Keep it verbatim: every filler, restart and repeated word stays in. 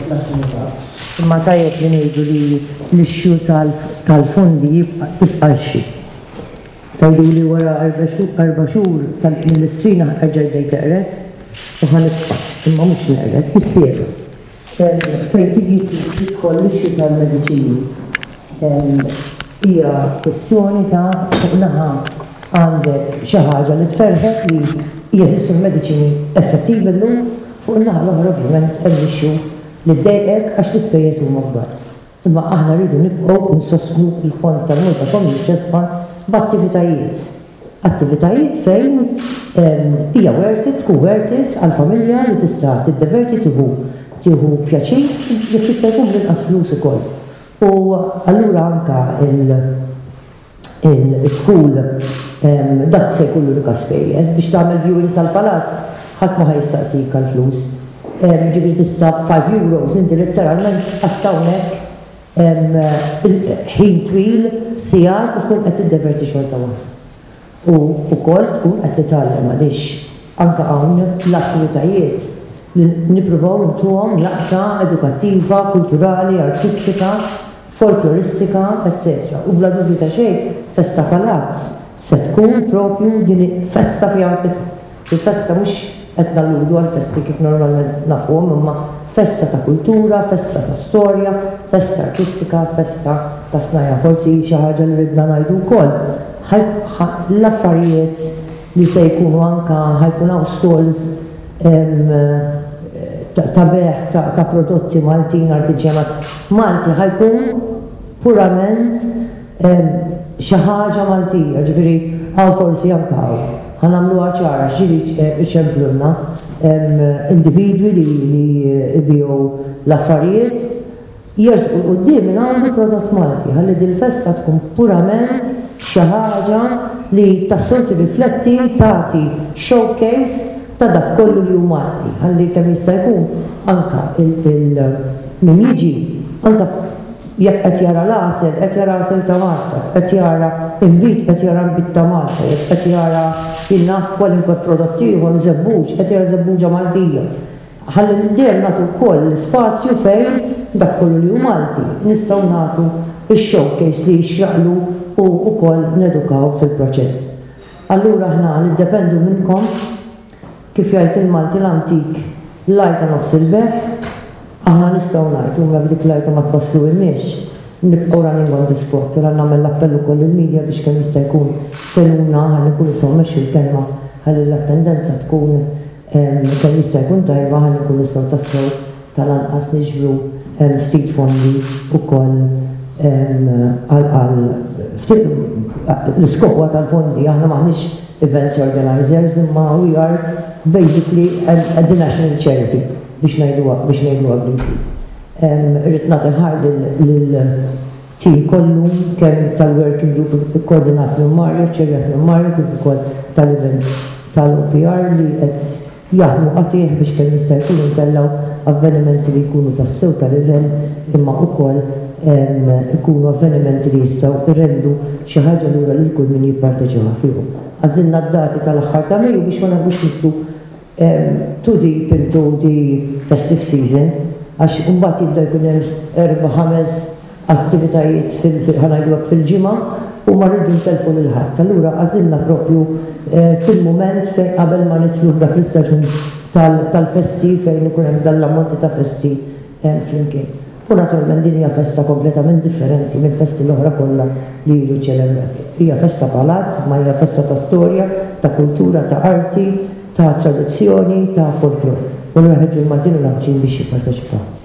l-attività. Imma tajjeb li ngħidu li l-issue tal-fondi jibqa' tibqa' issue. Tgħidu li wara erba' xhur mill-Istrina erġa' bdejt teqred u ħa nibqa', imma mhux neqred, nispjega. Fejn tiġi tidħol l-issue tal-mediċini hija kwestjoni ta' fuq naħa għandek xi ħaġa li tferħek li jeżistu l-mediċini effettivi llum, fuq in-naħa l-oħra ovvjament hemm issue li ddejqek għax l-ispejjeż huma kbar. Imma aħna rridu nibqgħu nsostnu l-fond tal-Malta Community Chest Fund b'attivitajiet. Attivitajiet fejn hija worth it, tkun worth it għall-familja li tista' tiddeverti, tieħu tieħu pjaċir, jekk jista' jkun bl-inqas flus ukoll. U allura anka il-dħul dak se jkun l-unika spejjeż biex tagħmel viewing tal-palazz, ħadd ma ħa jistaqsik għall-flus. Ġifieri tista' five euros inti letteralment qatt hawnhekk ħin twil, sigħat, u tkun qed tiddeverti xorta waħda. U wkoll tkun qed titgħallem, għaliex anka hawn l-attivitajiet li nippruvaw ntuhom laqta edukattiva, kulturali, artistika, folkloristika, eċċetera. U bla dubju ta' xejn, Festa Palazz se tkun propju din festa fiha nfisha. Il-festa mhux qed nalludu għal festi kif normalment nafuhom, imma festa ta' kultura, festa ta' storja, festa artistika, festa ta' snajja. Forsi xi ħaġa li ridna ngħidu wkoll. L-affarijiet li se jkunu anka ħa jkun hawn stalls ta' bejgħ ta' prodotti Maltin, artiġjanat Malti, ħa jkun purament xi ħaġa Maltija, ġifieri hawn forsi anka hawn. Ħa nagħmluha ċara, ġieli iċemplulna individwi li li jbigħu l-affarijiet, jersqu quddiem minn għandu prodott Malti, ħalli dil-festa tkun purament xi ħaġa li tassew tirrifletti, tagħti showcase ta' dak kollu li hu Malti, ħalli kemm jista' jkun anka il min jiġi, anka jekk qed jara l-għasel, qed jara għasel ta' Malta, qed jara inbid, qed jara nbid ta' Malta, jekk qed jara, jien naf, kwalunkwe prodott ieħor, żebbuġ, qed jara żebbuġa Maltija. Ħalli dejjem nagħtu wkoll l-ispazju fejn dak kollu li hu Malti nistgħu nagħtu ix-showcase li jixraqlu u wkoll nedukaw fil-proċess. Allura aħna niddependu minnkom. Kif jgħid il-Malti l-antik, l-għajta nofs il-bejgħ, aħna nistgħu ngħidu, imma dik l-għajta ma twasslulniex, nibqgħu running on the spot. Ura nagħmel l-appell ukoll il-media biex kemm jista' jkun tgħinuna ħalli nkunu nistgħu mmexxu l-kelma, ħalli l-attendenza tkun kemm jista' jkun tajba, ħalli nkunu nistgħu tassew tal-anqas niġbru ftit fondi ukoll għal l-iskop tal-fondi. Aħna m'aħniex events organizers, imma we are basically a, a the national charity, biex ngħiduha biex ngħiduha bl-Ingliż. Irrid nagħti ħajr lil-team kollu, kemm tal-working group koordinat minn Mario, ċerjat minn Mario, kif ukoll tal-events tal-O P R li qed jaħdmu qatigħ biex kemm jista' jkun intellgħu avvenimenti li jkunu tassew ta' livell, imma wkoll ikunu avvenimenti li jistgħu jrendu xi ħaġa lura lil kull min jipparteċipa fihom. Għażilna d-dati tal-aħħar ta' Mejju biex ma nagħmlux nidħlu too deep into the festive season, għax mbagħad jibda jkun hemm erba' ħames attivitajiet, ħa ngħidu, fil-ġimgħa u ma rridu ntellfu lil ħadd. Allura għażilna propju fil-mument fejn qabel ma nidħlu f'dak l-istaġun tal-festi fejn ikun hemm dan l-ammonti ta' festi flimkien. U naturalment din hija festa kompletament differenti mill-festi l-oħra kollha li jiġu ċelebrati. Hija festa palazz, ma hija festa ta' storja, ta' kultura, ta' arti, ta' tradizzjoni, ta' folklor. U nħeġġu l-Maltin u l-Għawdxin biex jipparteċipaw.